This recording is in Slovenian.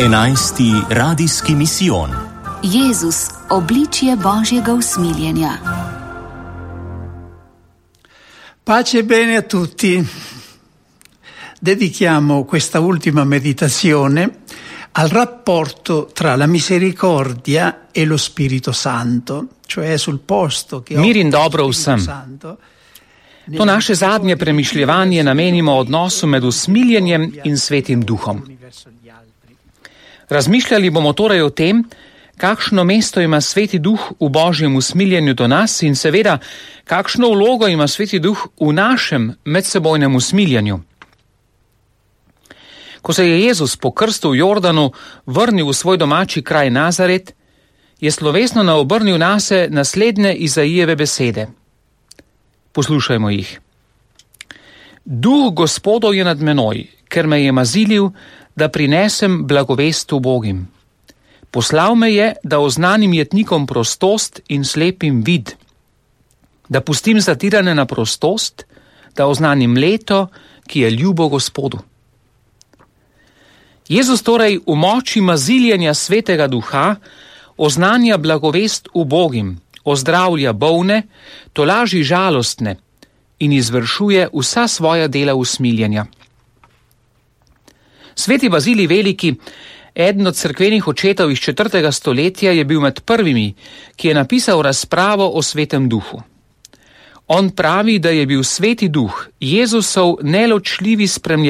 11. radijski misijon. Jezus, obličje Božjega usmiljenja. Pace bene a tutti. Dedichiamo questa ultima meditazione al rapporto tra la misericordia e lo Spirito Santo, cioè sul posto che Mir in dobro vsem. To naše zadnje premišljevanje namenimo odnosu med usmiljenjem in Svetim Duhom. Razmišljali bomo torej o tem, kakšno mesto ima Sveti Duh v Božjem usmiljenju do nas in seveda, kakšno vlogo ima Sveti Duh v našem medsebojnem usmiljenju. Ko se je Jezus po krstu v Jordanu vrnil v svoj domači kraj Nazaret, je slovesno naobrnil nase naslednje Izaijeve besede. Poslušajmo jih. Duh Gospodov je nad menoj, ker me je mazilil, da prinesem blagovest ubogim. Poslal me je, da oznanim jetnikom prostost in slepim vid, da pustim zatirane na prostost, da oznanim leto, ki je ljubo Gospodu. Jezus torej v moči maziljenja Svetega Duha oznanja blagovest ubogim, ozdravlja bolne, tolaži žalostne in izvršuje vsa svoja dela usmiljenja. Sveti Bazilij Veliki, eden od cerkvenih očetov iz 4. stoletja, je bil med prvimi, ki je napisal razpravo o Svetem Duhu. On pravi, da je bil Sveti Duh Jezusov neločljivi spremljevalec